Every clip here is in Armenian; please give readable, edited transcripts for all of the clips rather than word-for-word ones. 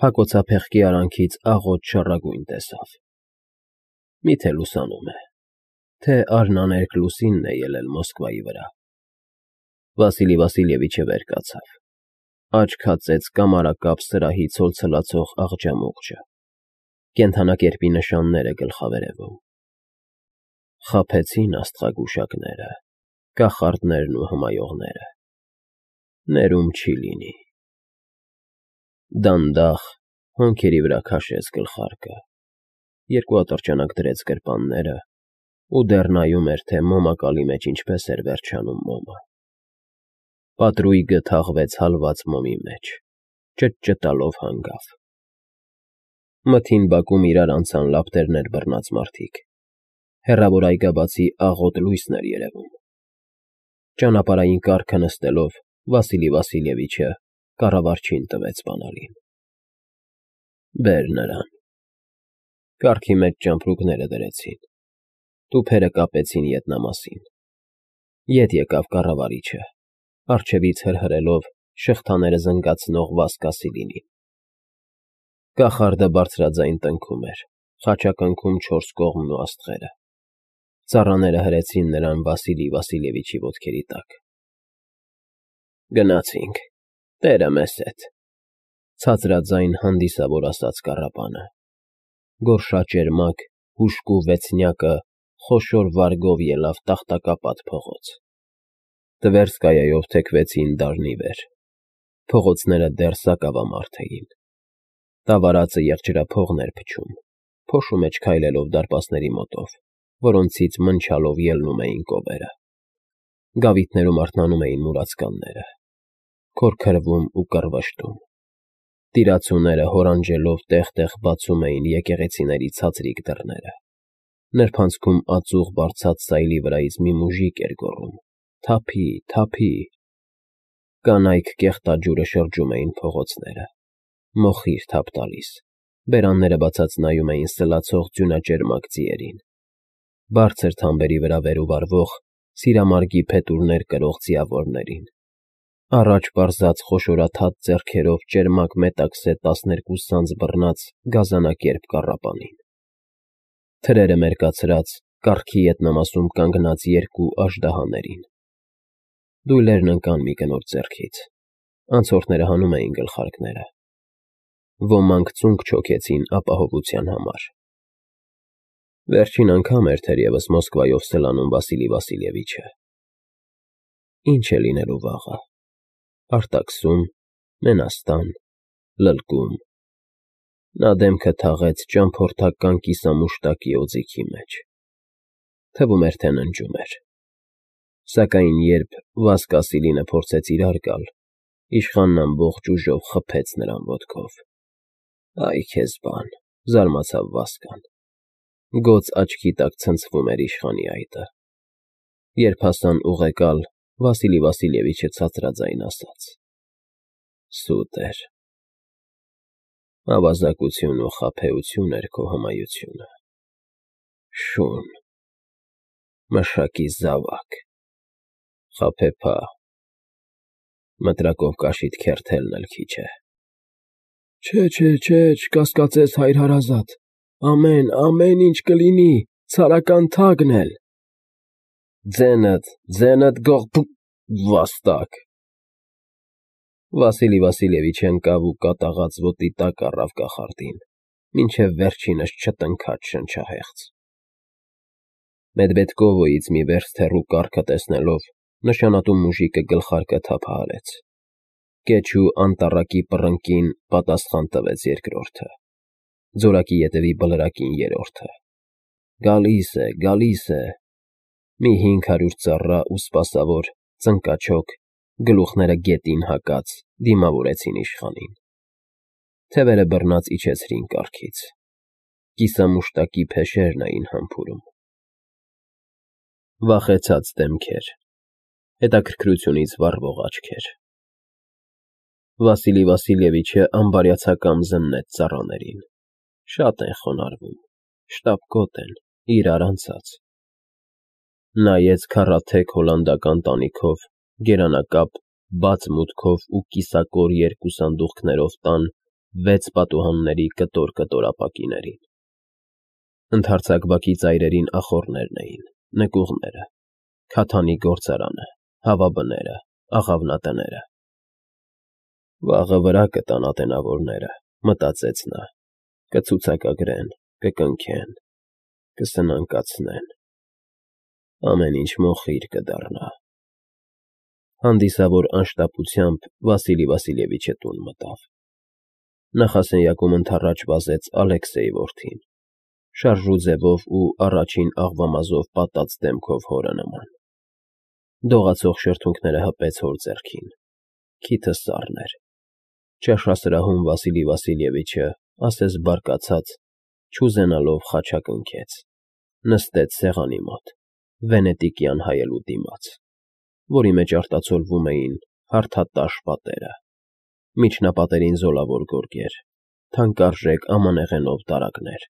Փակոցափեղկի արանքից աղոտ շառագույն տեսավ։ Միթե լուսանում է, թե արհնաներկ լուսինն է ելել Մոսկվայի վրա։ Վասիլի Վասիլևիչը վեր կացավ, աչք հացեց կամարակապ սրահի ցոլցլացող աղջամուղջը, կենդանակերպի նշանները գլխավերևում։ Խաբեցին աստղագուշակները, կախարդներն ու հմայողները, ներում չի լինի։ Դանդաղ հոնքերի վրա քաշեց գլխարկը, երկու ատրճանակ դրեց գրպանները ու դեռ նայում էր, թե մոմակալի մեջ ինչպես էր վերջանում մոմը։ Պատրույգը թաղվեց հալված մոմի մեջ, ճտճտալով հանգավ։ Մթին բակում իրար անցան լապտերներ բռնած մարդիկ, հեռավոր այգաբացի աղոտ լույսն էր երևում։ Ճանապարհային կառքը նստելով Վասիլի Վասիլևիչը կառավարչին տվեց բանալին։ Բեր նրան։ Կառքի մեջ ճամպրուկները դրեցին, տուփերը կապեցին ետնամասին։ Ետ եկավ կառավարիչը, առջևից հրհրելով շղթաները զնգացնող Վասկասիլինին։ Կախարդը բարձրաձայն տնքում էր, խաչակնքում չորս կողմն ու աստղերը։ Ծառաները հրեցին նրան Վասիլի Վասիլևիչի ոտքերի տակ։ Գնացինք, տերը մեզ հետ, ցածրաձայն հանդիսավոր ասաց կառապանը։ Գորշաճերմակ, հուժկու վեցնյակը խոշոր վարգով ելավ տախտակապատ փողոց։ Տվերսկայայով թեքվեցին դարնի վեր։ Փողոցները դեռ սակավամարդ էին։ Տավարածը եղջերափողն էր փչում, փոշու մեջ քայլելով դարպասների մոտով, որոնցից մնչալով ելնում էին կովերը։ Գավիթներում արթնանում էին մուրացկանները, քորքրվում ու կռվշտում։ Տիրացուները հորանջելով տեղ-տեղ բացում էին եկեղեցիների ցածրիկ դռները։ Նրբանցքում ածուխ բարձած սայլի վրայից մի մուժիկ էր գոռում. «Թափի, թափի»։ Կանայք կեղտաջուրը շրջում էին փողոցները, մոխիր թափ տալիս, բերանները բացած նայում էին սլացող ձյունաճերմակ ձիերին։ Բարձր թամբերի վրա վեր ու վառվող սիրամարգի փետուրներ կրող ձիավորներին։ Առաջ պարզած խոշորաթաթ ձեռքերով ճերմակ մետաքսե 12 սանձ բռնած գազանակերպ կառապանին։ Թրերը մերկացրած կառքի ետնամասում կանգնած երկու աժդահաներին։ Դույլերն ընկան մի կնոջ ձեռքից, անցորդները հանում էին գլխարկները։ Ոմանք ծունկ չոքեցին ապահովության համար։ Վերջին անգամ էր թերևս Մոսկվայով սլանում Վասիլի Վասիլևիչը։ Ինչ է լինելու վաղը։ Արտաքսում, մենաստան, լլկում։ Նա դեմքը թաղեց ճամփորդական կիսամուշտակի օձիքի մեջ։ Թվում էր, թե ննջում էր։ Սակայն երբ Վասկասիլինը փորձեց իրար գալ, իշխանն ամբողջ ուժով խփեց նրան ոտքով։ Այ քեզ բան, զարմացավ Վասկան։ Գոց աչքի տակ ցնցվում էր իշխանի այտը։ Երբ հասան ուղեկալ, Վասիլի Վասիլևիչը ցածրաձայն ասաց. Սուտ էր։ Ավազակություն ու խաբեություն էր քո հմայությունը։ Շուն, մշակի զավակ, խաբեբա, մտրակով կաշիդ քերթելն էլ քիչ է։ Չէ, չկասկածես, հայր հարազատ, ամեն ինչ կլինի, ցարական թագն էլ։ Ձենդ գող վաստակ։ Վասիլի Վասիլևիչը ընկավ ու կատաղած ոտի տակ առավ կախարդին, մինչև վերջինս չտնքաց շնչահեղձ։ Մեդվեդկովոյից մի վերստ հեռու կառքը տեսնելով, նշանատու մուժիկը գլխարկը թափահարեց։ Կեչու անտառակի պռնկին պատասխան տվեց երկրորդը, ձորակի ետևի բլրակին երրորդը։ Գալիս է։ Մի 500 ծառա ու սպասավոր, ծնկաչոք, գլուխները գետին հակած, դիմավորեցին իշխանին։ Թևերը բռնած իջեցրին կառքից։ Կիսամուշտակի փեշերն էին համբուրում։ Վախեցած դեմքեր, հետաքրքրությունից վառվող աչքեր։ Վասիլի Վասիլևիչը անբարյացակամ զննեց ծառաներին։ Շատ են խոնարհվում, շտապկոտ են, իրար անցած։ Նայեց քառաթեք հոլանդական տանիքով, գերանակապ, բաց մուտքով ու կիսակոր երկու սանդուղքներով տան 6 պատուհանների կտոր ապակիներին։ Ընդարձակ բակի ծայրերին ախոռներն էին, նկուղները, քաթանի գործարանը, հավաբները, աղավնատները։ Վաղը վրա կտան ատենավորները, մտածեց նա, կցուցակագրեն, կկնքեն, կսնանկացնեն, ամեն ինչ մոխիր կդառնա։ Հանդիսավոր անշտապությամբ Վասիլի Վասիլևիչը տուն մտավ։ Նախասենյակում ընդառաջ վազեց Ալեքսեյ որդին, շարժու ձևով ու առաջին աղվամազով պատած դեմքով հորը նման։ Դողացող շրթունքները հպեց հոր ձեռքին, քիթը սառն էր։ Ճաշասրահում Վասիլի Վասիլևիչը, ասես բարկացած, չուզենալով խաչակնքեց, նստեց սեղանի մոտ, վենետիկյան հայելուտի մաց, որի մեջ արտացոլվում էին հարթատաշ պատերը, միջնապատերին զոլավոր գորգեր, թանկարժեք ամանեղենով դարակներ։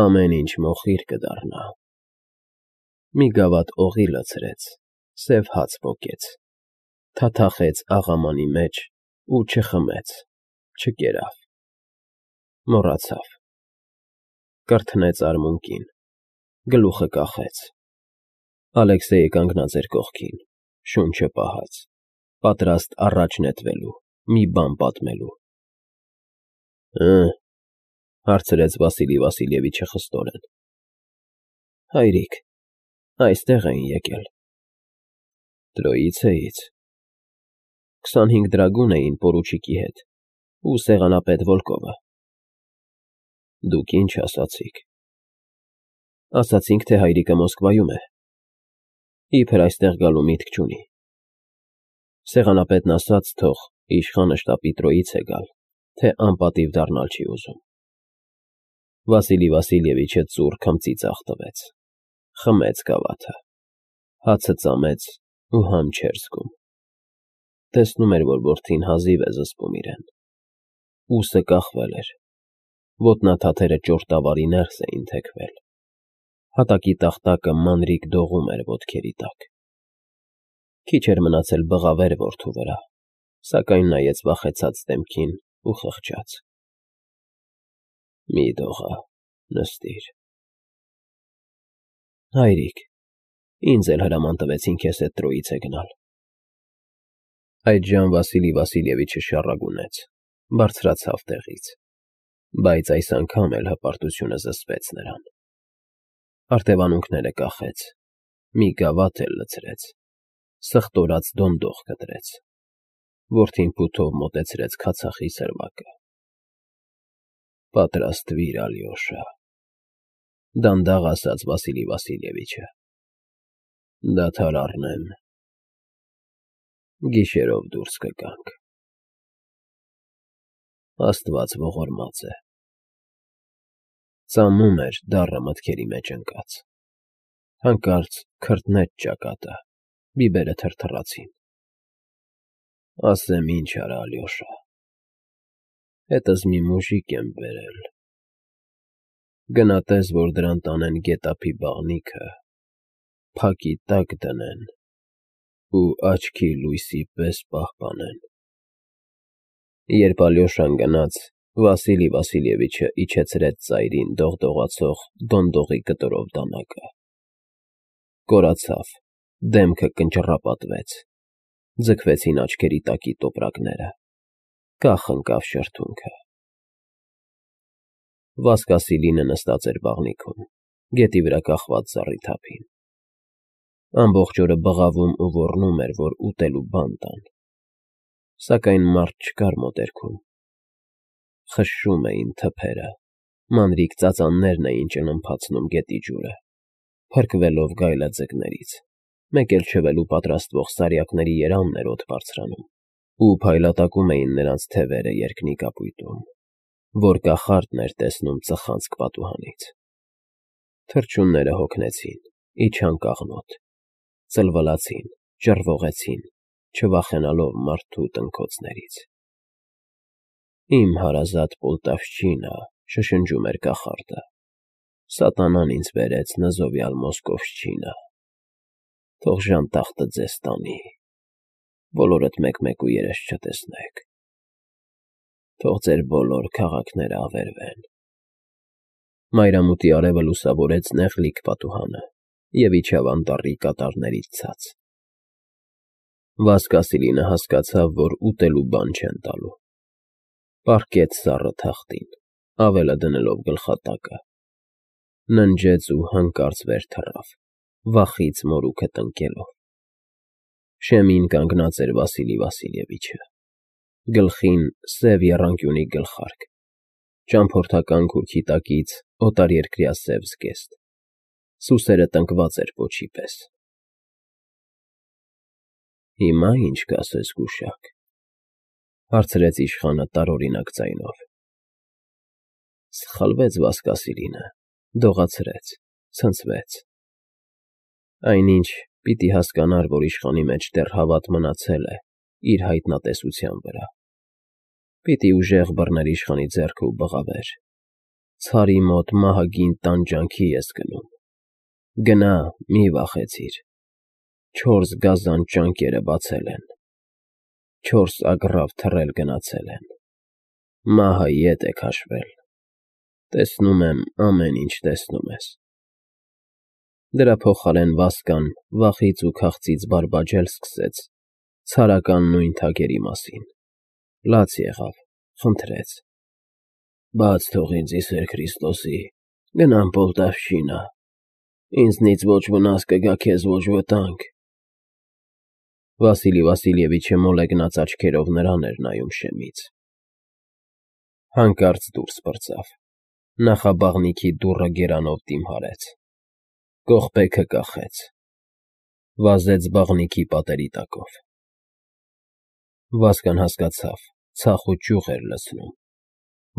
Ամեն ինչ մոխիր կդառնա։ Մի գավաթ օղի լցրեց, սև հաց պոկեց, թաթախեց աղամանի մեջ ու չխմեց, չկերավ, մոռացավ։ Կրթնեց արմունկին, գլուխը կախեց։ Ալեքսեյը կանգնած էր կողքին, շունչը պահած, պատրաստ առաջ նետվելու, մի բան պատմելու։ Հարցրեց Վասիլի Վասիլևիչը խստորեն։ Հայրիկ, այստեղ էին եկել։ Տրոիցեից։ 25 դրագուն էին պորուչիկի հետ ու սեղանապետ Վոլկովը։ Դուք ինչ ասացիք։ Ասացինք, թե հայրիկը Մոսկվայում է։ Իբր այստեղ գալու միտք չունի։ Սեղանապետն ասաց, թող իշխանը շտապի Տրոիցե գալ, թե անպատիվ դառնալ չի ուզում։ Վասիլի Վասիլևիչը ծուռ քմծի ձախ տվեց, խմեց գավաթը, հացը ծամեց ու համ չէր զգում։ Տեսնում էր, որ որդին հազիվ է զսպում իրեն։ Ուսը կախվել էր, ոտնաթաթերը ճորտավարի ներս էին թեքվել, հատակի տախտակը մանրիկ դողում էր ոտքերի տակ։ Քիչ էր մնացել բղավեր որդու վրա, սակայն նայեց վախեցած դեմքին ու խղճաց։ Մի դողա, նստիր։ Հայրիկ, ինձ էլ հրաման տվեցին քեզ հետ Տրոիցե գնալ։ Այդժամ Վասիլի Վասիլևիչը շառագունեց, բարձրացավ տեղից, բայց այս անգամ էլ հպարտությունը զսպեց նրան։ Արտևանունքները կախեց, մի գավաթ էլ լցրեց, սխտորած դոնդող կտրեց։ Որդին փութով մոտեցրեց քացախի սրվակը։ Պատրաստվիր, Ալյոշա, դանդաղ ասաց Վասիլի Վասիլևիչը։ Դադար առնեմ։ Գիշերով դուրս կգանք։ Աստված ողորմած է։ Ծամում էր դառը մտքերի մեջ ընկած։ Հանկարծ քրտնեց ճակատը, բիբերը թրթռացին։ Ասեմ ինչ արա, Ալյոշա։ Հետս մի մուժիկ եմ բերել։ Գնա տես, որ դրան տանեն գետափի բաղնիքը, փակի տակ դնեն ու աչքի լույսի պես պահպանեն։ Երբ Ալյոշան գնաց, Վասիլի Վասիլևիչը իջեցրեց ծայրին դողդողացող դոնդողի կտորով դանակը։ Կորացավ, դեմքը կնճռապատվեց, ձգվեցին աչքերի տակի տոպրակները, կախ ընկավ շրթունքը։ Վասկասիլինը նստած էր բաղնիքում, գետի վրա կախված զառիթափին։ Ամբողջ օրը բղավում ու ոռնում էր, որ ուտելու բան տան, սակայն մարդ չկար մոտերքում։ Խշշում էին թփերը, մանրիկ ծածաններն էին ճնմփացնում գետի ջուրը, փրկվելով գայլաձկներից, մեկ էլ չվելու պատրաստվող սարյակների երամն էր օդ բարձրանում, ու փայլատակում էին նրանց թևերը երկնի կապույտում, որ կախարդն էր տեսնում ծխանցք պատուհանից։ Թռչունները հոգնեցին, իջան կաղնոտ, ծլվլացին, ճռվողեցին, չվախենալով մարդու տնքոցներից։ Իմ հարազատ Պոլտավշչինա, շշնջում էր կախարդը, սատանան ինձ բերեց նզովյալ Մոսկովշչինա, թող ժանտախտը ձեզ տանի, բոլորդ մեկ-մեկ ու երես չտեսնեք։ թող ձեր բոլոր քաղաքները ավերվեն։ Մայրամուտի արևը լուսավորեց նեղլիկ պատուհանը և իջավ անտառի կատարներից ցած։ Վասկասիլինը հասկացավ, որ ուտելու բան չեն տալու։ Պառկեց սառը թախտին, ավելը դնելով գլխատակը։ Ննջեց ու հանկարծ վեր թռավ, վախից մորուքը տնկելով։ Շեմին կանգնած էր Վասիլի Վասիլևիչը, գլխին սև եռանկյունի գլխարկ, ճամփորդական քուրքի տակից օտարերկրյա սև զգեստ, սուսերը տնկված էր պոչի պես։ «Հիմա ի՞նչ կասես, գուշակ,֊ հարցրեց իշխանը տարօրինակ ձայնով։ Սխալվեց Վասկասիլինը, դողացրեց, ցնցվեց։ Այնինչ պիտի հասկանար, որ իշխանի մեջ դեռ հավատ մնացել է իր հայտնատեսության վրա։ Պիտի ուժեղ բռներ իշխանի ձեռքը ու բղավեր. «Ցարի մոտ մահագին տանջանքի ես գնում։ Գնա, մի վախեցիր. 4 գազան ճանկերը բացել են, 4 ագռավ թռել գնացել են, մահը ետ է քաշվել, տեսնում եմ ամեն ինչ տեսնում ես»։ Դրա փոխարեն Վասկան վախից ու քաղցից բարբաջել սկսեց ցարական նույն թագերի մասին, լաց եղավ, խնդրեց. «Բաց թող ինձ ի սեր Քրիստոսի, գնամ Պոլտավշինա, ինձնից ոչ վնաս կգա, քեզ ոչ վտանգ»։ Վասիլի Վասիլևիչը մոլեգնած աչքերով նրան էր նայում շեմից։ Հանկարծ դուրս պրծավ, նախաբաղնիքի դուռը գերանով դիմհարեց, կողպեքը կախեց, վազեց բաղնիքի պատերի տակով։ Վասկան հասկացավ, ցախ ու ճյուղ էր լցնում,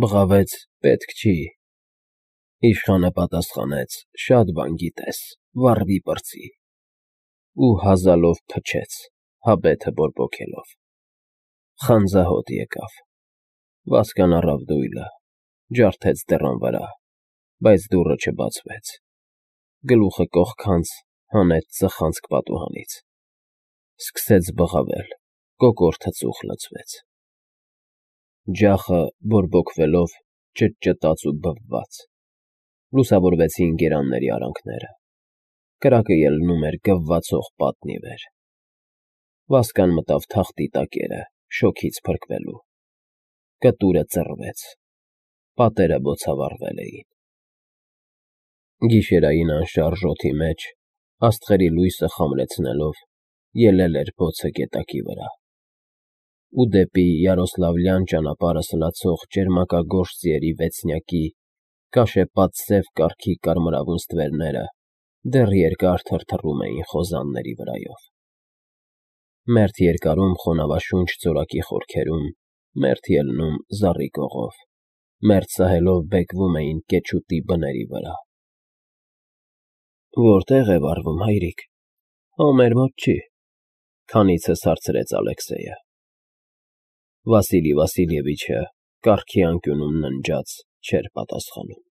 բղավեց. «Պետք չի»։ Իշխանը պատասխանեց. «Շատ բան գիտես, վառվի պրծի» ու հազալով փչեց, հաբեթը բորբոքելով։ Խանձահոտ եկավ։ Վասկան առավ դույլը, ջարդեց դռան վրա, բայց դուռը չբացվեց։ Գլուխը կողքանց հանեց ծխանցք պատուհանից։ Սկսեց բղավել, կոկորդը ծուխ լցվեց։ Ջախը բորբոքվելով ճտճտաց ու բվաց։ Լուսավորվեցին գերանների արանքները։ Կրակը ելնում էր գվվացող պատն ի վեր։ Վասկան մտավ թախտի տակերը, շոգից փրկվելու։ Կտուրը ծռվեց, պատերը բոցավառվել էին։ Գիշերային անշարժ օդի մեջ, աստղերի լույսը խամրեցնելով, ելել էր բոցը գետակի վրա։ Ու դեպի Յարոսլավլյան ճանապարհը սլացող ճերմակագործ ձիերի վեցնյակի կաշեպատ սև կառքի կարմրավուն ստվերները դեռ երկար թրթռում էին խոզանների վրայով։ Մերթ երկարում խոնավաշունչ ձորակի խորքերում, մերթ ելնում զառի կողով, մերթ սահելով բեկվում էին կեչուտի բների վրա։ «Որտե՞ղ է վառվում, հայրիկ»։ «Հո մեր մոտ չի», քանիցս հարցրեց Ալեքսեյը։ Վասիլի Վասիլևիչը կառքի անկյունում ննջած չէր պատասխանում։